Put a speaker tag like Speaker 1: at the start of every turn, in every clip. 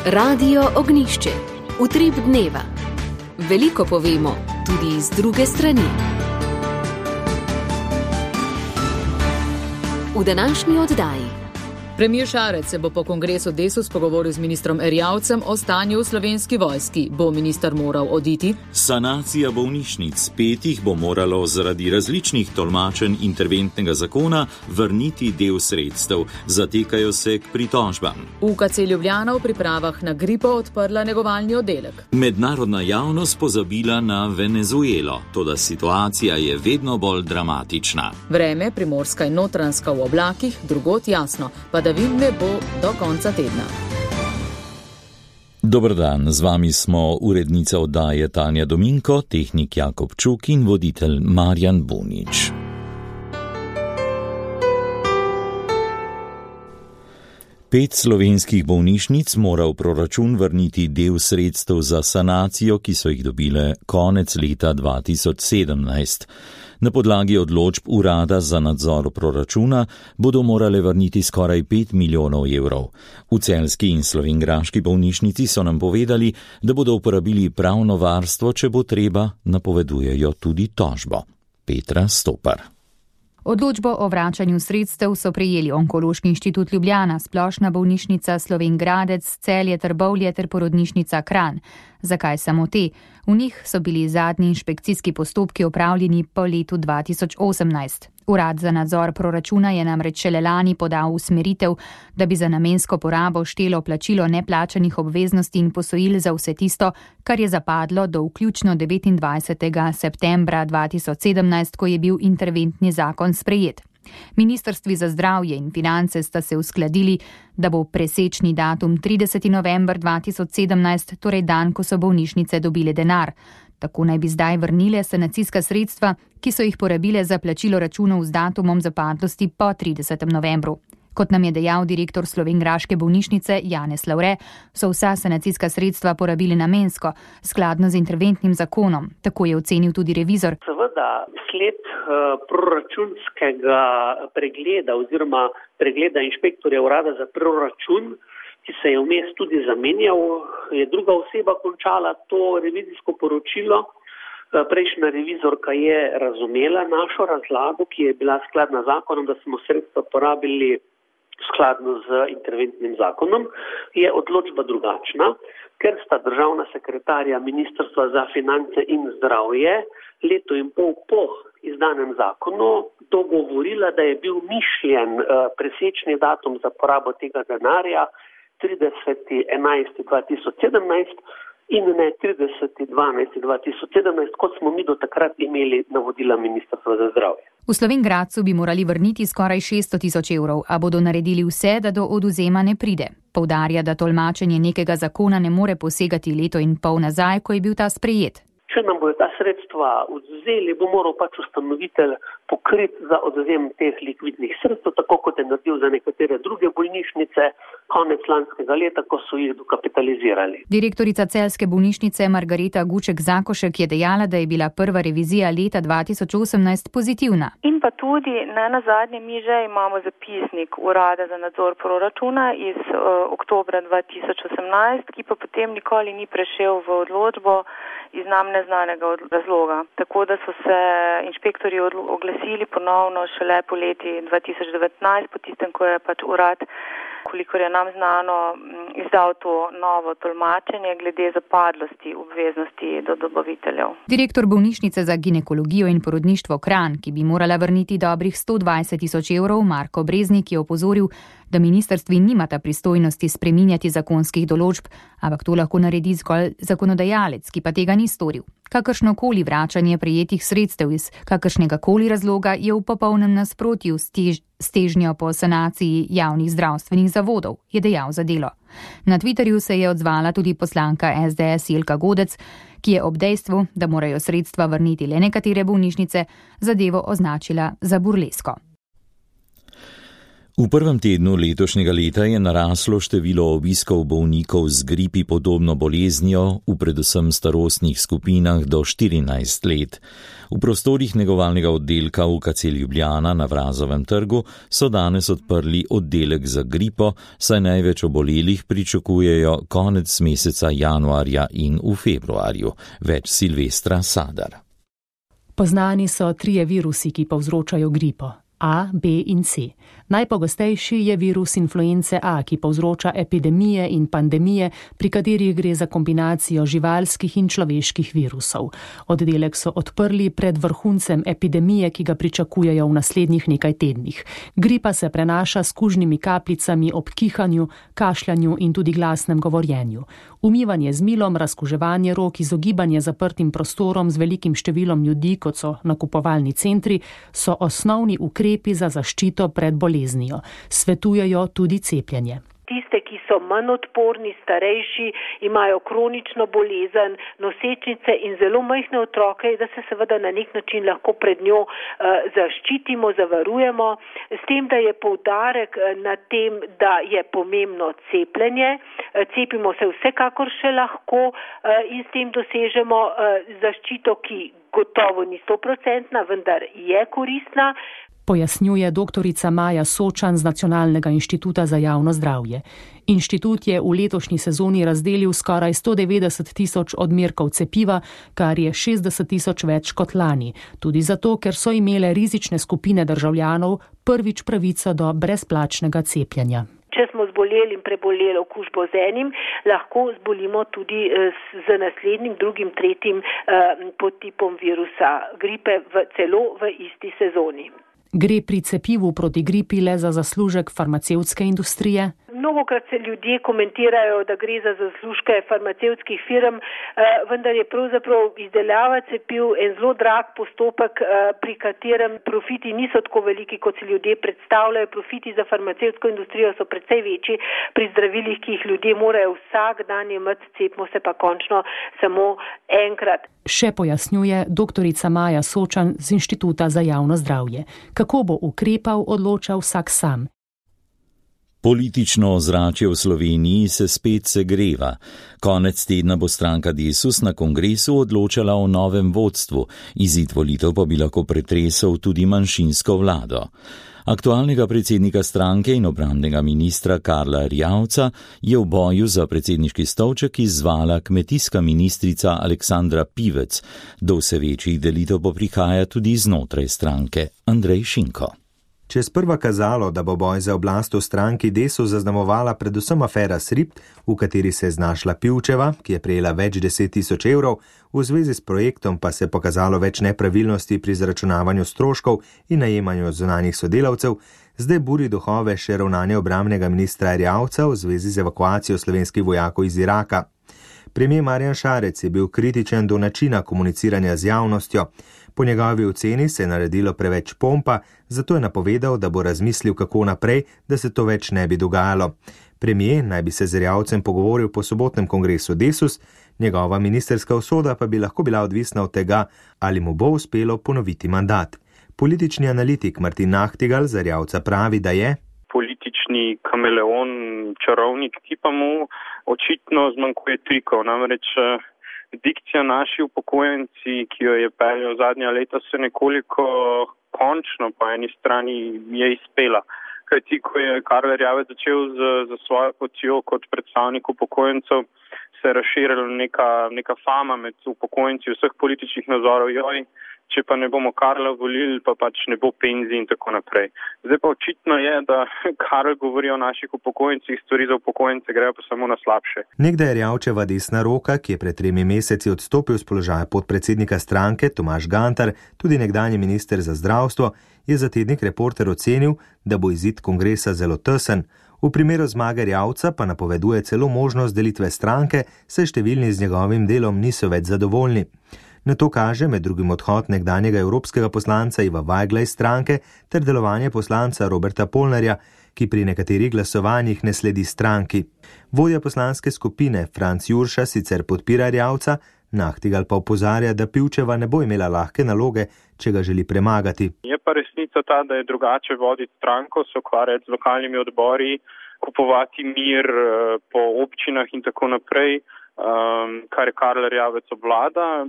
Speaker 1: Radio Ognjišče. Utrip dneva. Veliko povemo, tudi iz druge strani. V današnji oddaji.
Speaker 2: Premier Šarec se bo po kongresu Desus pogovoril z ministrom Erjavcem o stanju v Slovenski vojski. Bo minister moral oditi?
Speaker 3: Sanacija bolnišnic 5 bo moralo zaradi različnih tolmačenj interventnega zakona vrniti del sredstev. Zatekajo se k pritožbam.
Speaker 2: UKC Ljubljana v pripravah na gripo odprla negovalni oddelek.
Speaker 3: Mednarodna javnost pozabila na Venezuelo, toda situacija je vedno bolj dramatična.
Speaker 2: Vreme, primorska in notranjska v oblakih, drugod jasno. Padavin ne bo do konca tedna.
Speaker 3: Dober dan, z vami smo urednica oddaje Tanja Dominko, tehnik Jakob Čuk in voditelj Marjan Bunič. Pet slovenskih bolnišnic mora v proračun vrniti del sredstev za sanacijo, ki so jih dobile konec leta 2017. Na podlagi odločb Urada za nadzor proračuna bodo morale vrniti skoraj 5 milijonov evrov. V celjski in slovenjgraški bolnišnici so nam povedali, da bodo uporabili pravno varstvo, če bo treba, napovedujejo tudi tožbo. Petra Stopar.
Speaker 4: Odločbo o vračanju sredstev so prejeli Onkološki inštitut Ljubljana, Splošna bolnišnica Slovenj Gradec, Celje, Trbovlje ter porodnišnica Kranj. Zakaj samo te? V njih so bili zadnji inšpekcijski postopki opravljeni po letu 2018. Urad za nadzor proračuna je namreč šele lani podal usmeritev, da bi za namensko porabo štelo plačilo neplačanih obveznosti in posojil za vse tisto, kar je zapadlo do vključno 29. septembra 2017, ko je bil interventni zakon sprejet. Ministrstvi za zdravje in finance sta se uskladili, da bo presečni datum 30. november 2017, torej dan, ko so bolnišnice dobile denar. Tako naj bi zdaj vrnile sanacijska sredstva, ki so jih porabile za plačilo računov z datumom zapadlosti po 30. novembru. Kot nam je dejal direktor slovenjgraške bolnišnice Janez Lavre, so vsa sanacijska sredstva porabili namensko, skladno z interventnim zakonom. Tako je ocenil tudi revizor.
Speaker 5: Seveda, sled proračunskega pregleda oziroma pregleda inšpektorja Urada za proračun, ki se je vmes tudi zamenjal, je druga oseba končala to revizijsko poročilo. Prejšnja revizorka je razumela našo razlago, ki je bila skladna z zakonom, da smo sredstva porabili skladno z interventnim zakonom, je odločba drugačna, ker sta državna sekretarja Ministrstva za finance in zdravje leto in pol po izdanem zakonu dogovorila, da je bil mišljen presečni datum za porabo tega denarja 30.11.2017 in ne 30.12.2017, kot smo mi do takrat imeli navodila Ministrstva za zdravje.
Speaker 4: V Slovenj Gradcu bi morali vrniti skoraj 600 000 evrov, a bodo naredili vse, da do odvzema ne pride. Poudarja, da tolmačenje nekega zakona ne more posegati leto in pol nazaj, ko je bil ta sprejet.
Speaker 5: Če nam bodo ta sredstva odvzeli, bo moral ustanovitelj pokriti za odvzem teh likvidnih sredstev, tako kot je naredil za nekatere druge bolnišnice konec lanskega leta, ko so jih dokapitalizirali.
Speaker 4: Direktorica celjske bolnišnice Margareta Guček-Zakošek je dejala, da je bila prva revizija leta 2018 pozitivna.
Speaker 6: In pa tudi, nazadnje mi že imamo zapisnik Urada za nadzor proračuna iz oktobra 2018, ki pa potem nikoli ni prešel v odločbo iz nam neznanega razloga. Tako da so se inšpektorji oglasili ponovno šele po leti 2019, po tistem, ko je urad, kolikor je nam znano, izdal to novo tolmačenje glede zapadlosti obveznosti do dobaviteljev.
Speaker 4: Direktor bolnišnice za ginekologijo in porodništvo Kranj, ki bi morala vrniti dobrih 120 000 evrov, Marko Breznik je opozoril, da ministrstvi nimata pristojnosti spreminjati zakonskih določb, ampak to lahko naredi zgolj zakonodajalec, ki pa tega ni storil. Kakršnokoli vračanje prejetih sredstev iz kakršnegakoli razloga je v popolnem nasprotju s težnjo po sanaciji javnih zdravstvenih zavodov, je dejal za Delo. Na Twitterju se je odzvala tudi poslanka SDS Jelka Godec, ki je ob dejstvu, da morajo sredstva vrniti le nekatere bolnišnice, zadevo označila za burlesko.
Speaker 3: V prvem tednu letošnjega leta je naraslo število obiskov bolnikov z gripi podobno boleznijo v predvsem starostnih skupinah do 14 let. V prostorih negovalnega oddelka UKC Ljubljana na Vrazovem trgu so danes odprli oddelek za gripo, saj največ obolelih pričakujejo konec meseca januarja in v februarju. Več Silvestra Sadar.
Speaker 7: Poznani so 3 virusi, ki povzročajo gripo. A, B in C. Najpogostejši je virus influence A, ki povzroča epidemije in pandemije, pri katerih gre za kombinacijo živalskih in človeških virusov. Oddelek so odprli pred vrhuncem epidemije, ki ga pričakujejo v naslednjih nekaj tednih. Gripa se prenaša s kužnimi kapljicami ob kihanju, kašljanju in tudi glasnem govorjenju. Umivanje z milom, razkuževanje rok, izogibanje zaprtim prostorom z velikim številom ljudi, kot so nakupovalni centri, so osnovni ukrepi za zaščito pred boleznijo. Svetujejo tudi cepljenje.
Speaker 8: Tiste, ki so manj odporni, starejši, imajo kronično bolezen, nosečnice in zelo majhne otroke, da se seveda na nek način lahko pred njo zaščitimo, zavarujemo, s tem, da je poudarek na tem, da je pomembno cepljenje. Cepimo se vsekakor še lahko in s tem dosežemo zaščito, ki gotovo ni 100%, vendar je koristna.
Speaker 7: Pojasnjuje doktorica Maja Sočan z Nacionalnega inštituta za javno zdravje. Inštitut je v letošnji sezoni razdelil skoraj 190 tisoč odmerkov cepiva, kar je 60 tisoč več kot lani. Tudi zato, ker so imele rizične skupine državljanov prvič pravico do brezplačnega cepljenja.
Speaker 8: Če smo zboleli in preboleli okužbo z enim, lahko zbolimo tudi z naslednjim, drugim, tretjim podtipom virusa gripe celo v isti sezoni.
Speaker 7: Gre pri cepivu proti gripi le za zaslužek farmacevtske industrije?
Speaker 8: Mnogokrat se ljudje komentirajo, da gre za zaslužke farmacevtskih firm, vendar je pravzaprav izdelava cepiv en zelo drag postopek, pri katerem profiti niso tako veliki, kot si ljudje predstavljajo. Profiti za farmacevtsko industrijo so precej večji pri zdravilih, ki jih ljudje morajo vsak dan imeti, cepimo se pa končno samo enkrat.
Speaker 7: Še pojasnjuje doktorica Maja Sočan z Inštituta za javno zdravje. Kako bo ukrepal, odloča vsak sam.
Speaker 3: Politično ozračje v Sloveniji se spet segreva. Konec tedna bo stranka Desus na kongresu odločala o novem vodstvu, izid volitev pa bi lahko pretresel tudi manjšinsko vlado. Aktualnega predsednika stranke in obrambnega ministra Karla Erjavca je v boju za predsedniški stolček izzvala kmetijska ministrica Aleksandra Pivec. Do vse večjih delitev pa prihaja tudi znotraj stranke. Andrej Šinko.
Speaker 9: Če je sprva kazalo, da bo boj za oblast v stranki Desus zaznamovala predvsem afera Sript, v kateri se je znašla Pivčeva, ki je prejela več 10 tisoč evrov, v zvezi s projektom pa se je pokazalo več nepravilnosti pri zaračunavanju stroškov in najemanju zunanjih sodelavcev, zdaj buri duhove še ravnanje obrambnega ministra Erjavca v zvezi z evakuacijo slovenskih vojakov iz Iraka. Premier Marjan Šarec je bil kritičen do načina komuniciranja z javnostjo. Po njegovi oceni se je naredilo preveč pompa, zato je napovedal, da bo razmislil, kako naprej, da se to več ne bi dogajalo. Premier naj bi se z Erjavcem pogovoril po sobotnem kongresu Desus, njegova ministerska usoda pa bi lahko bila odvisna od tega, ali mu bo uspelo ponoviti mandat. Politični analitik Martin Nahtigal z Erjavca pravi, da je
Speaker 10: politični kameleon, čarovnik, ki pa mu očitno zmanjkuje trikov, namreč dikcija naši upokojenci, ki jo je peljal zadnja leta, se nekoliko končno po eni strani je izpela. Kajti, ko je Karl Erjavec začel za svojo potjo kot predstavnik upokojencev, se je razširila neka fama med upokojenci vseh političnih nazorov, če pa ne bomo Karla volili, pa pač ne bo penzij in tako naprej. Zdaj pa očitno je, da Karl govori o naših upokojencih, stvari za upokojence grejo pa samo na slabše.
Speaker 9: Nekdaj Erjavčeva desna roka, ki je pred 3 meseci odstopil z položaja podpredsednika stranke, Tomaž Gantar, tudi nekdanji minister za zdravstvo, je za tednik Reporter ocenil, da bo izid kongresa zelo tesen. V primeru zmage Erjavca pa napoveduje celo možnost delitve stranke, saj številni z njegovim delom niso več zadovoljni. Na to kaže med drugim odhod nekdanjega evropskega poslanca Iva Vajgla iz stranke ter delovanje poslanca Roberta Polnarja, ki pri nekaterih glasovanjih ne sledi stranki. Vodja poslanske skupine Franc Jurša sicer podpira Erjavca, Nahtigal pa opozarja, da Pivčeva ne bo imela lahke naloge, če ga želi premagati.
Speaker 10: Je pa resnica ta, da je drugače voditi stranko, se ukvarjati z lokalnimi odbori, kupovati mir po občinah in tako naprej, kar je Karl Erjavec obvlada,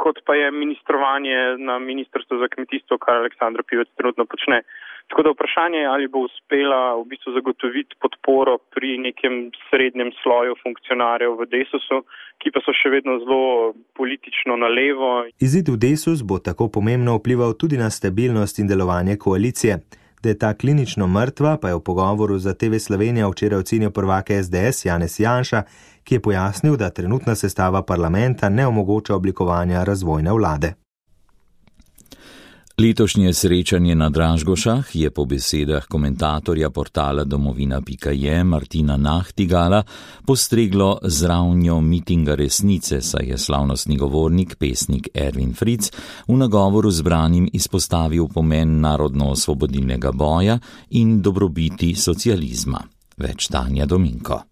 Speaker 10: kot pa je ministrovanje na Ministrstvu za kmetijstvo, kar Aleksandra Pivec trenutno počne. Tako da vprašanje je, ali bo uspela v bistvu zagotoviti podporo pri nekem srednjem sloju funkcionarjev v Desusu, ki pa so še vedno zelo politično na levo.
Speaker 9: Izid v Desus bo tako pomembno vplival tudi na stabilnost in delovanje koalicije. Da je ta klinično mrtva, pa je v pogovoru za TV Slovenija včeraj ocenil prvak SDS Janez Janša, ki je pojasnil, da trenutna sestava parlamenta ne omogoča oblikovanja razvojne vlade.
Speaker 3: Letošnje srečanje na Dražgošah je po besedah komentatorja portala domovina.je Martina Nahtigala postreglo z ravnjo mitinga resnice, saj je slavnostni govornik, pesnik Erwin Fritz v nagovoru zbranim izpostavil pomen narodno-osvobodilnega boja in dobrobiti socializma. Več Tanja Dominko.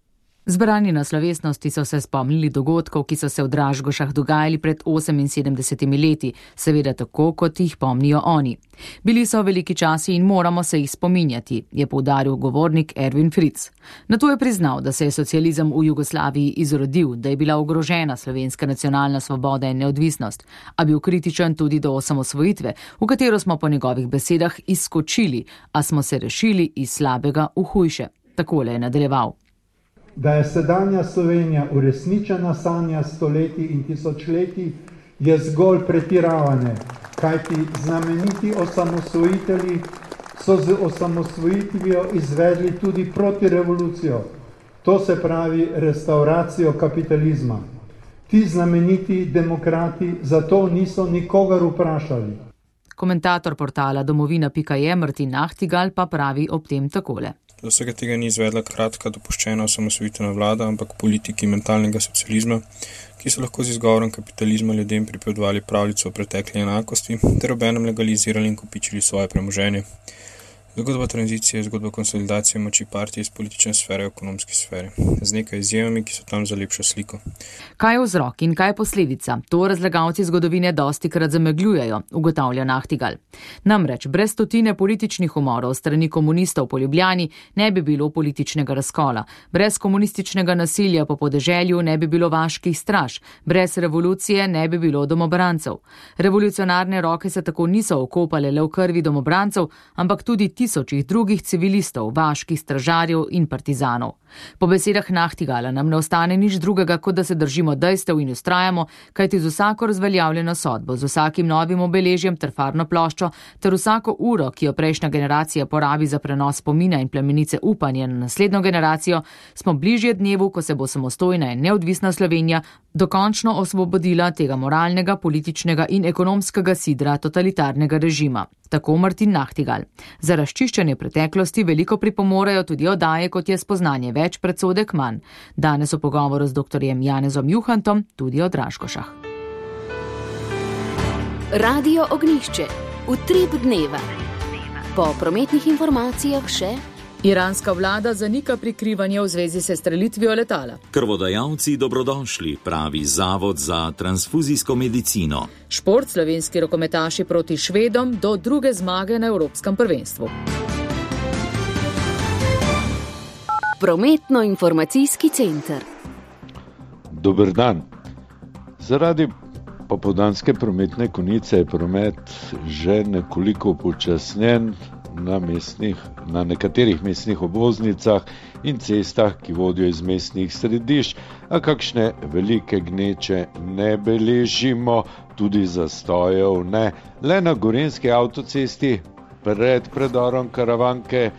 Speaker 2: Zbrani na slovesnosti so se spomnili dogodkov, ki so se v Dražgošah dogajali pred 78 leti, seveda tako, kot jih pomnijo oni. Bili so veliki časi in moramo se jih spominjati, je poudaril govornik Erwin Fritz. Nato je priznal, da se je socializem v Jugoslaviji izrodil, da je bila ogrožena slovenska nacionalna svoboda in neodvisnost, a bil kritičen tudi do osamosvojitve, v katero smo po njegovih besedah izskočili, a smo se rešili iz slabega v hujše. Takole je nadaljeval.
Speaker 11: Da je sedanja Slovenija uresničena sanja stoletij in tisočletij, je zgolj pretiravanje, kajti znameniti osamosvojitelji so z osamosvojitvijo izvedli tudi protirevolucijo, to se pravi restauracijo kapitalizma. Ti znameniti demokrati zato niso nikogar vprašali.
Speaker 2: Komentator portala domovina.je Martin Nahtigal pa pravi ob tem takole.
Speaker 12: Do vsega tega ni izvedla kratka dopuščena osamosvojitvena vlada, ampak politiki mentalnega socializma, ki so lahko z izgovorom kapitalizma ljudem pripovedovali pravljico o pretekli enakosti ter obenem legalizirali in kopičili svoje premoženje. Zgodba tranzicije je zgodba konsolidacije moči partije iz politične sfere v ekonomski sferi, z nekaj izjemami, ki so tam za lepšo sliko.
Speaker 2: Kaj je vzrok in kaj je posledica? To razlagalci zgodovine dostikrat zamegljujejo, ugotavlja Nahtigal. Namreč brez stotine političnih umorov strani komunistov po Ljubljani ne bi bilo političnega razkola, brez komunističnega nasilja po podeželju ne bi bilo vaških straž, brez revolucije ne bi bilo domobrancev. Revolucionarne roke se tako niso okopale le v krvi domobrancev, ampak tudi tisočih drugih civilistov, vaških stražarjev in partizanov. Po besedah Nahtigala nam ne ostane nič drugega, kot da se držimo dejstev in ustrajamo, kajti z vsako razveljavljeno sodbo, z vsakim novim obeležjem ter farno ploščo, ter vsako uro, ki jo prejšnja generacija porabi za prenos spomina in plemenice upanja na naslednjo generacijo, smo bližje dnevu, ko se bo samostojna in neodvisna Slovenija dokončno osvobodila tega moralnega, političnega in ekonomskega sidra totalitarnega režima. Tako Martin Nahtigal. Za razčiščenje preteklosti veliko pripomorejo tudi oddaje, kot je Spoznanje več, predsodek manj. Danes v pogovoru z doktorjem Janezom Juhantom tudi o Dražgošah.
Speaker 1: Radio Ognjišče. Utrip dneva. Po prometnih informacijah še.
Speaker 2: Iranska vlada zanika prikrivanje v zvezi s strelitvijo letala.
Speaker 3: Krvodajalci dobrodošli, pravi Zavod za transfuzijsko medicino.
Speaker 2: Šport, slovenski rokometaši proti Švedom do druge zmage na Evropskem prvenstvu.
Speaker 1: Prometno-informacijski center.
Speaker 13: Dober dan. Zaradi popoldanske prometne konice je promet že nekoliko upočasnjen na nekaterih mestnih obvoznicah in cestah, ki vodijo iz mestnih središč, a kakšne velike gneče ne beležimo, tudi zastojev ne. Le na Gorenjski avtocesti pred predorom Karavanke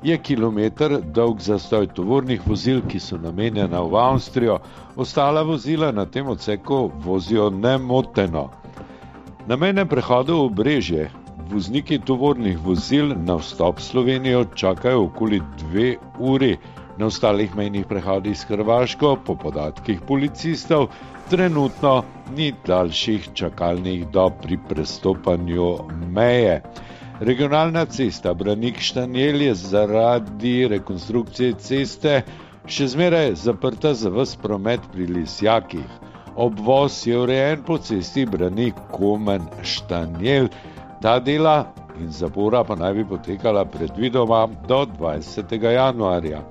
Speaker 13: je kilometer dolg zastoj tovornih vozil, ki so namenjena v Avstrijo. Ostala vozila na tem odseku vozijo nemoteno. Na mejnem prehodu v Brežje vozniki tovornih vozil na vstop v Slovenijo čakajo okoli 2 uri. Na ostalih mejnih prehodih s Hrvaško, po podatkih policistov, trenutno ni daljših čakalnih dob pri prestopanju meje. Regionalna cesta Branik-Štanjel je zaradi rekonstrukcije ceste še zmeraj zaprta za ves promet pri Lisjakih. Obvoz je urejen po cesti Branik-Komen-Štanjel. Ta dela in zapora pa naj bi potekala predvidoma do 20. januarja.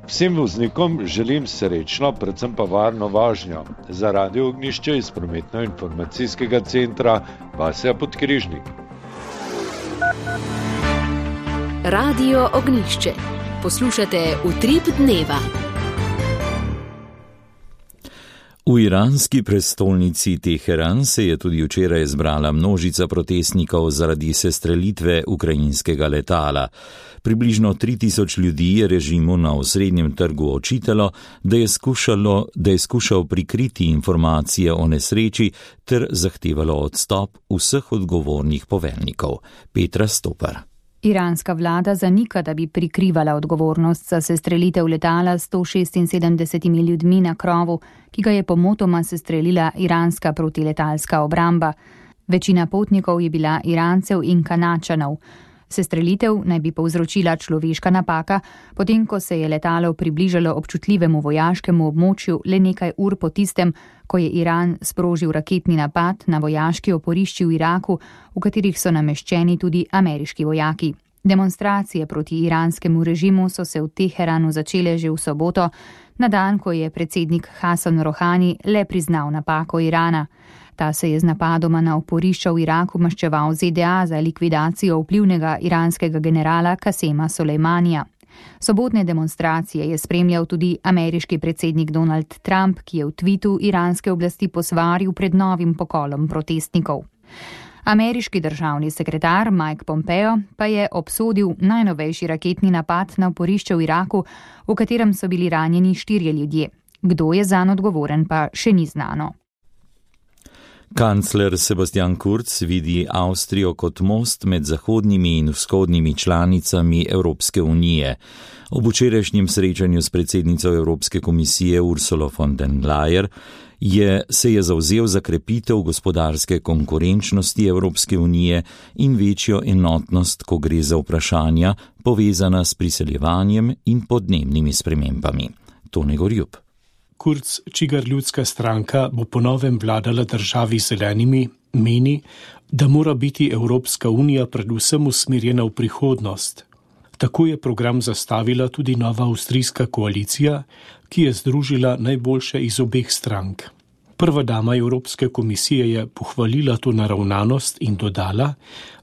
Speaker 13: Vsem voznikom želim srečno, predvsem pa varno vožnjo. Za Radio Ognjišče iz prometno-informacijskega centra Vasja Podkrižnik.
Speaker 1: Radio Ognjišče. Poslušate Utrip dneva.
Speaker 3: V iranski prestolnici Teheran se je tudi včeraj zbrala množica protestnikov zaradi sestrelitve ukrajinskega letala. Približno 3000 ljudi je režimu na osrednjem trgu očitalo, da je skušal prikriti informacije o nesreči ter zahtevalo odstop vseh odgovornih poveljnikov. Petra Stopar.
Speaker 4: Iranska vlada zanika, da bi prikrivala odgovornost za sestrelitev letala s 176 ljudmi na krovu, ki ga je pomotoma sestrelila iranska protiletalska obramba. Večina potnikov je bila Irancev in Kanačanov. Sestrelitev naj bi povzročila človeška napaka, potem ko se je letalo približalo občutljivemu vojaškemu območju le nekaj ur po tistem, ko je Iran sprožil raketni napad na vojaški oporišči v Iraku, v katerih so nameščeni tudi ameriški vojaki. Demonstracije proti iranskemu režimu so se v Teheranu začele že v soboto, na dan, ko je predsednik Hasan Rohani le priznal napako Irana. Ta se je z napadoma na oporišča v Iraku maščeval ZDA za likvidacijo vplivnega iranskega generala Kasema Sulejmanija. Sobotne demonstracije je spremljal tudi ameriški predsednik Donald Trump, ki je v tvitu iranske oblasti posvaril pred novim pokolom protestnikov. Ameriški državni sekretar Mike Pompeo pa je obsodil najnovejši raketni napad na oporišče v Iraku, v katerem so bili ranjeni 4 ljudje. Kdo je zanj odgovoren, pa še ni znano.
Speaker 3: Kancler Sebastian Kurz vidi Avstrijo kot most med zahodnimi in vzhodnimi članicami Evropske unije. Ob včerajšnjem srečanju s predsednico Evropske komisije Ursulo von der Leyen se je zavzel za krepitev gospodarske konkurenčnosti Evropske unije in večjo enotnost, ko gre za vprašanja povezana s priseljevanjem in podnebnimi spremembami. Tone Gorjup.
Speaker 14: Kurz, čigar ljudska stranka bo po novem vladala državi zelenimi, meni, da mora biti Evropska unija predvsem usmerjena v prihodnost. Tako je program zastavila tudi nova avstrijska koalicija, ki je združila najboljše iz obeh strank. Prva dama Evropske komisije je pohvalila to naravnanost in dodala,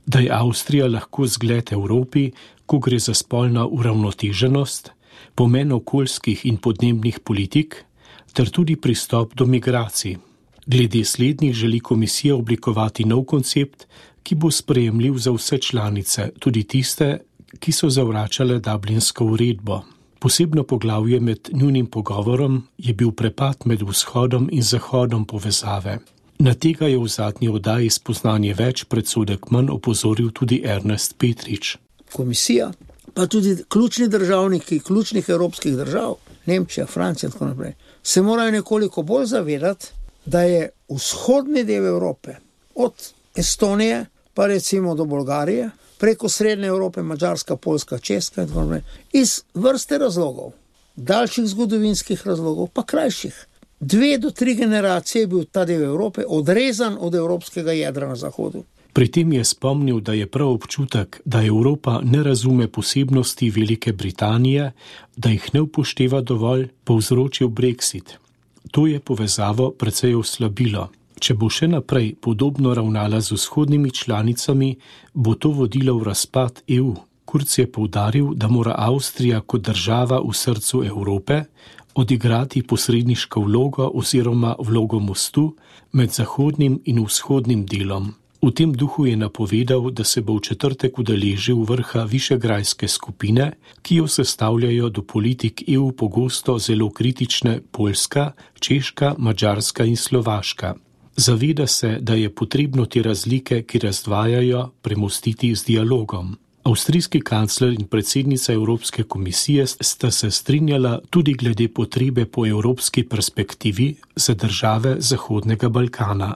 Speaker 14: da je Avstrija lahko zgled Evropi, ko gre za spolno uravnoteženost, pomen okoljskih in podnebnih politik, ter tudi pristop do migracij. Glede slednjih želi komisija oblikovati nov koncept, ki bo sprejemljiv za vse članice, tudi tiste, ki so zavračale Dublinsko uredbo. Posebno poglavje med njunim pogovorom je bil prepad med vzhodom in zahodom povezave. Na tega je v zadnji oddaji Spoznanje več predsodek manj opozoril tudi Ernest Petrič.
Speaker 15: Komisija, pa tudi ključni državniki ključnih evropskih držav, Nemčija, Francija in tako naprej, se morajo nekoliko bolj zavedati, da je vzhodni del Evrope, od Estonije pa recimo do Bolgarije, preko srednje Evrope, Madžarska, Poljska, Češka in tako naprej, iz vrste razlogov, daljših zgodovinskih razlogov, pa krajših. 2 do 3 generacije je bil ta del Evrope odrezan od evropskega jedra na zahodu.
Speaker 14: Pri tem je spomnil, da je prav občutek, da Evropa ne razume posebnosti Velike Britanije, da jih ne upošteva dovolj, povzročil Brexit. To je povezavo precej oslabilo. Če bo še naprej podobno ravnala z vzhodnimi članicami, bo to vodilo v razpad EU. Kurz je poudaril, da mora Avstrija kot država v srcu Evrope odigrati posredniško vlogo oziroma vlogo mostu med zahodnim in vzhodnim delom. V tem duhu je napovedal, da se bo v četrtek udeležil vrha Višegrajske skupine, ki jo sestavljajo do politik EU pogosto zelo kritične Poljska, Češka, Madžarska in Slovaška. Zaveda se, da je potrebno te razlike, ki razdvajajo, premostiti z dialogom. Avstrijski kancler in predsednica Evropske komisije sta se strinjala tudi glede potrebe po evropski perspektivi za države Zahodnega Balkana.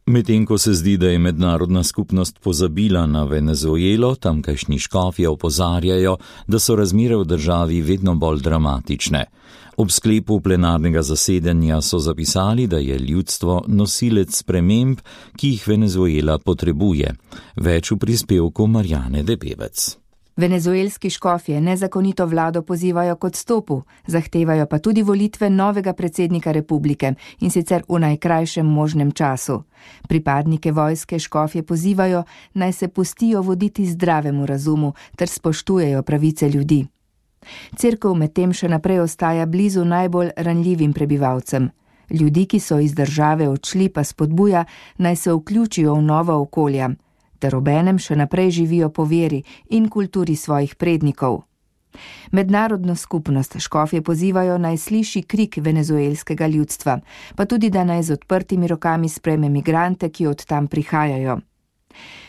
Speaker 3: Medtem ko se zdi, da je mednarodna skupnost pozabila na Venezuelo, tamkajšnji škofje opozarjajo, da so razmere v državi vedno bolj dramatične. Ob sklepu plenarnega zasedanja so zapisali, da je ljudstvo nosilec sprememb, ki jih Venezuela potrebuje. Več v prispevku Marjane Debevec.
Speaker 16: Venezuelski škofje nezakonito vlado pozivajo k odstopu, zahtevajo pa tudi volitve novega predsednika republike in sicer v najkrajšem možnem času. Pripadnike vojske škofje pozivajo, naj se pustijo voditi zdravemu razumu ter spoštujejo pravice ljudi. Cerkev medtem še naprej ostaja blizu najbolj ranljivim prebivalcem. Ljudi, ki so iz države odšli, pa spodbuja, naj se vključijo v nova okolja, ter obenem še naprej živijo po veri in kulturi svojih prednikov. Mednarodno skupnost škofje pozivajo, naj sliši krik venezuelskega ljudstva, pa tudi, da naj z odprtimi rokami sprejme migrante, ki od tam prihajajo.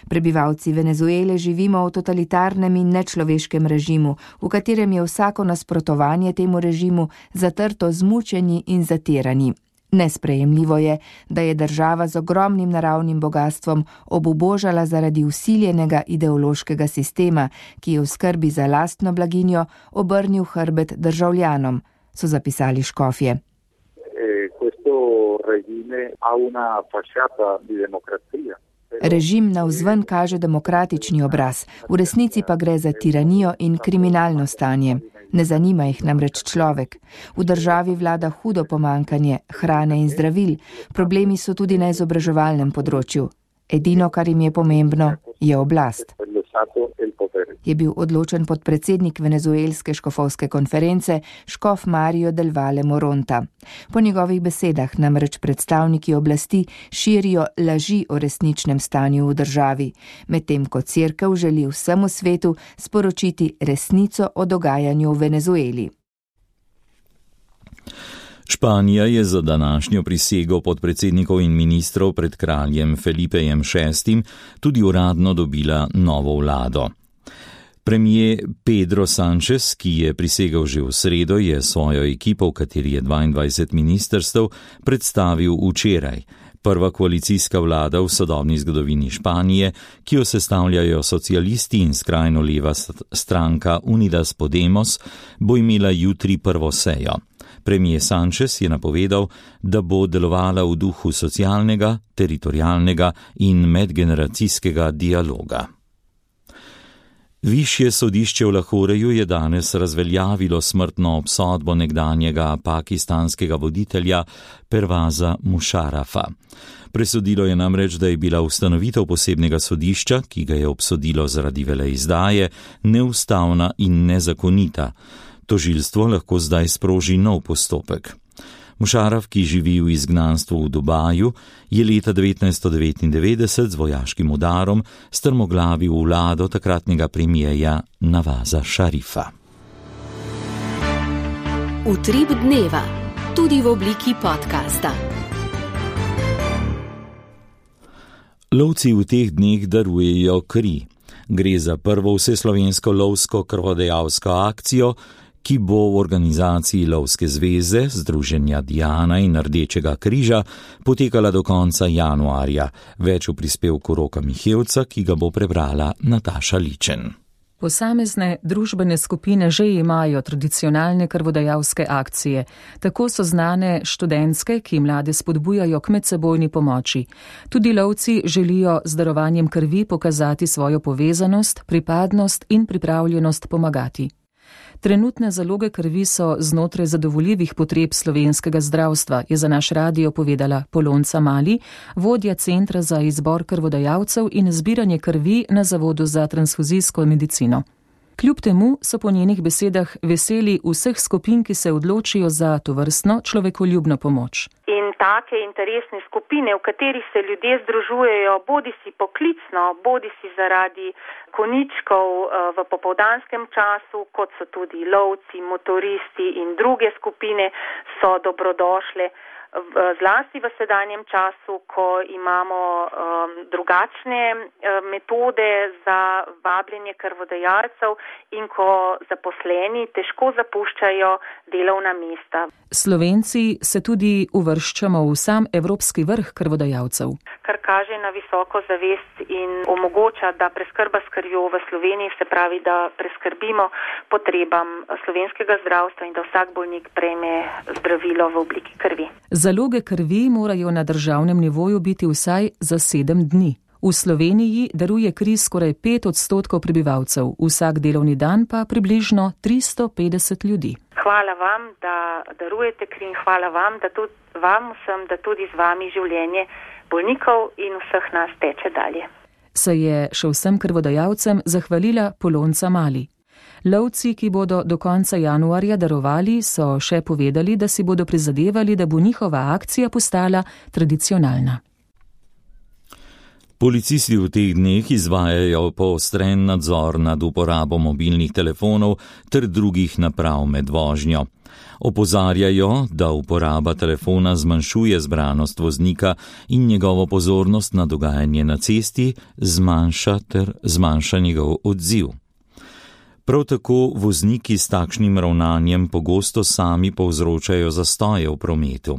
Speaker 16: Prebivalci Venezuele živimo v totalitarnem in nečloveškem režimu, v katerem je vsako nasprotovanje temu režimu zatrto z mučenji in zatirani. Nesprejemljivo je, da je država z ogromnim naravnim bogastvom obubožala zaradi vsiljenega ideološkega sistema, ki je v skrbi za lastno blaginjo obrnil hrbet državljanom, so zapisali škofje. Režim navzven kaže demokratični obraz, v resnici pa gre za tiranijo in kriminalno stanje. Ne zanima jih namreč človek. V državi vlada hudo pomanjkanje hrane in zdravil, problemi so tudi na izobraževalnem področju. Edino, kar jim je pomembno, je oblast. Je bil odločen podpredsednik venezuelske škofovske konference škof Mario del Valle Moronta. Po njegovih besedah namreč predstavniki oblasti širijo laži o resničnem stanju v državi, medtem ko cerkev želi vsemu svetu sporočiti resnico o dogajanju v Venezueli.
Speaker 3: Španija je za današnjo prisego podpredsednikov in ministrov pred kraljem Felipejem VI. Tudi uradno dobila novo vlado. Premier Pedro Sánchez, ki je prisegel že v sredo, je svojo ekipo, v kateri je 22 ministrstev, predstavil včeraj. Prva koalicijska vlada v sodobni zgodovini Španije, ki jo sestavljajo socialisti in skrajno leva stranka Unidas Podemos, bo imela jutri prvo sejo. Premier Sánchez je napovedal, da bo delovala v duhu socialnega, teritorialnega in medgeneracijskega dialoga. Višje sodišče v Lahoreju je danes razveljavilo smrtno obsodbo nekdanjega pakistanskega voditelja Pervaza Mušarafa. Presodilo je namreč, da je bila ustanovitev posebnega sodišča, ki ga je obsodilo zaradi veleizdaje, neustavna in nezakonita. Tožilstvo lahko zdaj sproži nov postopek. Mušaraf, ki živi v izgnanstvu v Dubaju, je leta 1999 z vojaškim udarom strmoglavil vlado takratnega premijeja Navaza Šarifa.
Speaker 1: Utrip dneva, tudi v obliki podcasta.
Speaker 3: Lovci v teh dneh darujejo kri. Gre za prvo vseslovensko lovsko krvodajalsko akcijo, ki bo v organizaciji Lovske zveze, Združenja Diana in Rdečega križa potekala do konca januarja. Več v prispevku Roka Mihevca, ki ga bo prebrala Nataša Ličen.
Speaker 17: Posamezne družbene skupine že imajo tradicionalne krvodajalske akcije. Tako so znane študentske, ki mlade spodbujajo k medsebojni pomoči. Tudi lovci želijo z darovanjem krvi pokazati svojo povezanost, pripadnost in pripravljenost pomagati. Trenutne zaloge krvi so znotraj zadovoljivih potreb slovenskega zdravstva, je za naš radio povedala Polonca Mali, vodja Centra za izbor krvodajalcev in zbiranje krvi na Zavodu za transfuzijsko medicino. Kljub temu so po njenih besedah veseli vseh skupin, ki se odločijo za tovrstno človekoljubno pomoč.
Speaker 6: In take interesne skupine, v katerih se ljudje združujejo, bodisi poklicno, bodisi zaradi konjičkov v popoldanskem času, kot so tudi lovci, motoristi in druge skupine, so dobrodošle. zlasti v sedanjem času, ko imamo drugačne metode za vabljenje krvodajalcev in ko zaposleni težko zapuščajo delovna mesta.
Speaker 17: Slovenci se tudi uvrščamo v sam evropski vrh krvodajalcev,
Speaker 6: kar kaže na visoko zavest in omogoča, da preskrba s krvjo v Sloveniji, se pravi, da preskrbimo potrebam slovenskega zdravstva in da vsak bolnik prejme zdravilo v obliki krvi.
Speaker 17: Zaloge krvi morajo na državnem nivoju biti vsaj za 7 dni. V Sloveniji daruje kri skoraj 5% prebivalcev, vsak delovni dan pa približno 350 ljudi.
Speaker 6: Hvala vam, da darujete kri in hvala vam, da tudi vam vsem, da tudi z vami življenje bolnikov in vseh nas teče dalje.
Speaker 17: Se je še vsem krvodajalcem zahvalila Polonca Mali. Lovci, ki bodo do konca januarja darovali, so še povedali, da si bodo prizadevali, da bo njihova akcija postala tradicionalna.
Speaker 3: Policisti v teh dneh izvajajo poostren nadzor nad uporabo mobilnih telefonov ter drugih naprav med vožnjo. Opozarjajo, da uporaba telefona zmanjšuje zbranost voznika in njegovo pozornost na dogajanje na cesti zmanjša njegov odziv. Prav tako vozniki s takšnim ravnanjem pogosto sami povzročajo zastoje v prometu.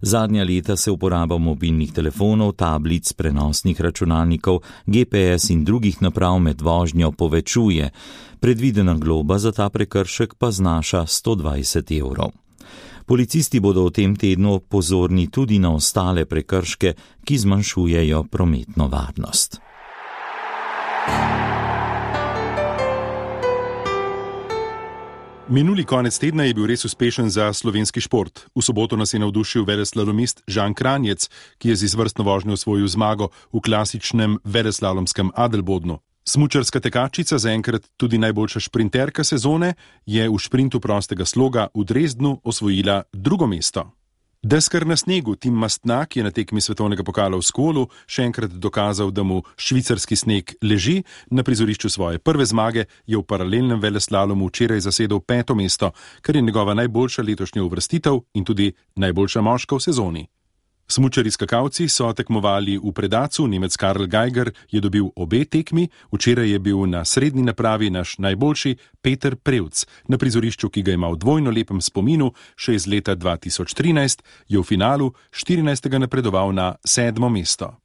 Speaker 3: Zadnja leta se uporaba mobilnih telefonov, tablic, prenosnih računalnikov, GPS in drugih naprav med vožnjo povečuje. Predvidena globa za ta prekršek pa znaša 120 €. Policisti bodo v tem tednu pozorni tudi na ostale prekrške, ki zmanjšujejo prometno varnost.
Speaker 18: Minuli konec tedna je bil res uspešen za slovenski šport. V soboto nas je navdušil veleslalomist Žan Kranjec, ki je z izvrstno vožnjo osvojil zmago v klasičnem veleslalomskem Adelbodnu. Smučarska tekačica, zaenkrat tudi najboljša šprinterka sezone, je v šprintu prostega sloga v Dresdnu osvojila 2. mesto. Deskar na snegu Tim Mastnak je na tekmi svetovnega pokala v Skolu še enkrat dokazal, da mu švicarski sneg leži. Na prizorišču svoje prve zmage je v paralelnem veleslalomu včeraj zasedel 5. mesto, kar je njegova najboljša letošnja uvrstitev in tudi najboljša moška v sezoni. Smučari skakalci so tekmovali v Predacu, Nemec Karl Geiger je dobil obe tekmi, včeraj je bil na srednji napravi naš najboljši Peter Prevc. Na prizorišču, ki ga ima v dvojno lepem spominu, še iz leta 2013, je v finalu 14. napredoval na 7. mesto.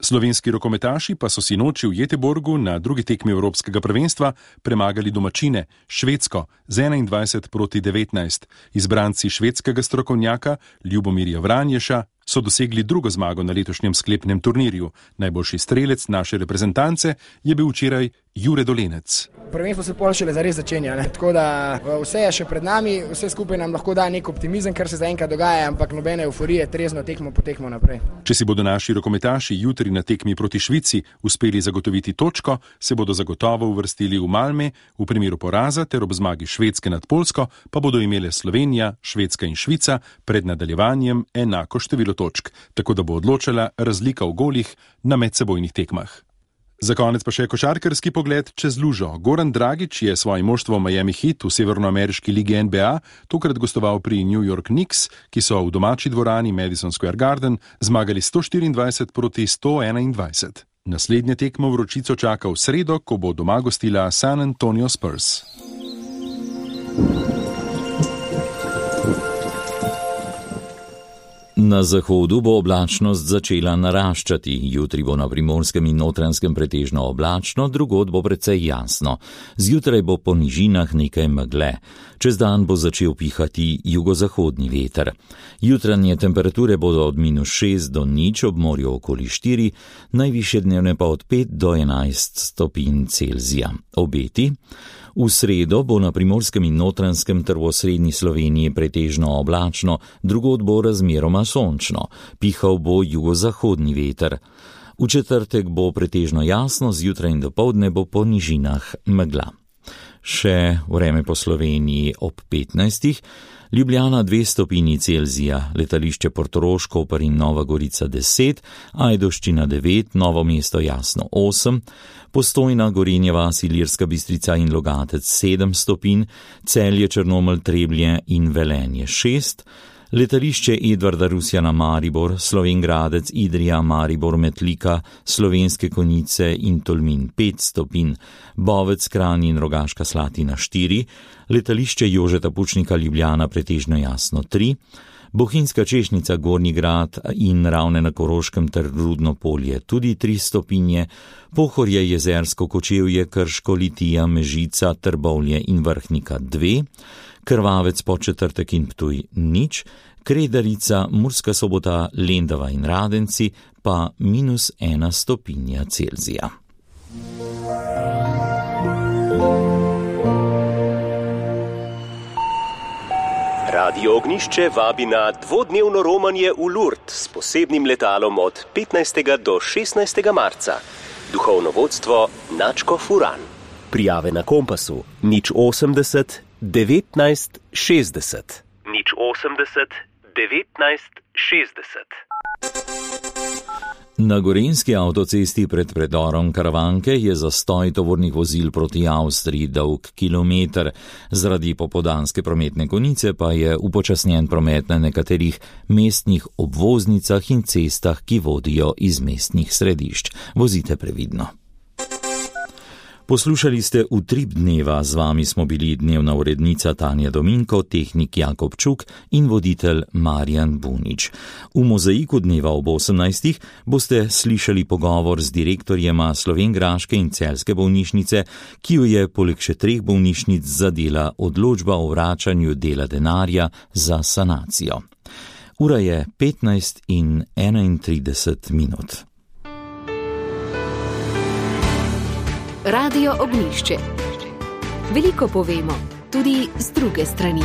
Speaker 18: Slovenski rokometaši pa so sinoči v Göteborgu na drugi tekmi Evropskega prvenstva premagali domačine Švedsko z 21-19. Izbranci švedskega strokovnjaka Ljubomirja Vranješa so dosegli 2. zmago na letošnjem sklepnem turnirju. Najboljši strelec naše reprezentance je bil včeraj Jure Dolenec.
Speaker 19: Prvenstvo se pol šele zares začenja, tako da vse je še pred nami, vse skupaj nam lahko da nek optimizem, kar se zaenkrat dogaja, ampak nobene euforije, trezno tekmo po tekmo naprej.
Speaker 18: Če si bodo naši rokometaši jutri na tekmi proti Švici uspeli zagotoviti točko, se bodo zagotovo uvrstili v Malme, v primeru poraza ter ob zmagi Švedske nad Poljsko pa bodo imele Slovenija, Švedska in Švica pred nadaljevanjem enako število točk, tako da bo odločala razlika v golih na medsebojnih tekmah. Za konec pa še košarkarski pogled čez lužo. Goran Dragić je svoje moštvo Miami Heat v severnoameriški ligi NBA tokrat gostoval pri New York Knicks, ki so v domači dvorani Madison Square Garden zmagali 124 proti 121. Naslednja tekma vročico čaka v sredo, ko bo doma gostila San Antonio Spurs.
Speaker 3: Na zahodu bo oblačnost začela naraščati. Jutri bo na Primorskem in Notranjskem pretežno oblačno, drugod bo precej jasno. Zjutraj bo po nižinah nekaj megle. Čez dan bo začel pihati jugozahodni veter. Jutranje temperature bodo od -6 do 0, ob morju okoli 4, najvišje dnevne pa od 5 do 11 stopinj Celzija. Obeti? V sredo bo na Primorskem in Notranjskem ter v osrednji Sloveniji pretežno oblačno, drugod bo razmeroma sončno, pihal bo jugozahodni veter. V četrtek bo pretežno jasno, zjutraj in dopoldne bo po nižinah megla. Še vreme po Sloveniji ob 15. Ljubljana 2 stopinji Celzija, letališče Portorož, Koper in Nova Gorica 10, Ajdovščina 9, Novo mesto jasno 8, Postojna, Gorenje vas, Ilirska Bistrica in Logatec 7 stopinj, Celje, Črnomelj, Trebnje in Velenje 6, Letališče Edvarda Rusjana Maribor, Slovenj Gradec, Idrija, Maribor, Metlika, Slovenske Konjice in Tolmin 5 stopinj, Bovec, Kranj in Rogaška Slatina 4, letališče Jožeta Pučnika Ljubljana pretežno jasno 3, Bohinjska Češnica, Gornji Grad in Ravne na Koroškem ter Rudno Polje tudi 3 stopinje, Pohorje, Jezersko, Kočevje, Krško, Litija, Mežica, Trbovlje in Vrhnika 2, Krvavec, Podčetrtek in Ptuj 0, Kredarica, Murska Sobota, Lendava in Radenci pa -1 stopinja Celzija.
Speaker 20: Radio Ognjišče vabi na dvodnevno romanje v Lourdes s posebnim letalom od 15. do 16. marca. Duhovno vodstvo Načko Furan. Prijave na Kompasu 080 19 60. 080 19 60.
Speaker 3: Na gorenjski avtocesti pred predorom Karavanke je zastoj tovornih vozil proti Avstriji dolg kilometer. Zaradi popoldanske prometne konice pa je upočasnjen promet na nekaterih mestnih obvoznicah in cestah, ki vodijo iz mestnih središč. Vozite previdno. Poslušali ste Utrip dneva, z vami smo bili dnevna urednica Tanja Dominko, tehnik Jakob Čuk in voditelj Marjan Bunič. V mozaiku dneva ob 18. boste slišali pogovor z direktorjema slovenjgraške in celjske bolnišnice, ki jo je poleg še 3 bolnišnic zadela odločba o vračanju dela denarja za sanacijo. Ura je 15:31.
Speaker 1: Radio Ognjišče. Veliko povemo, tudi z druge strani.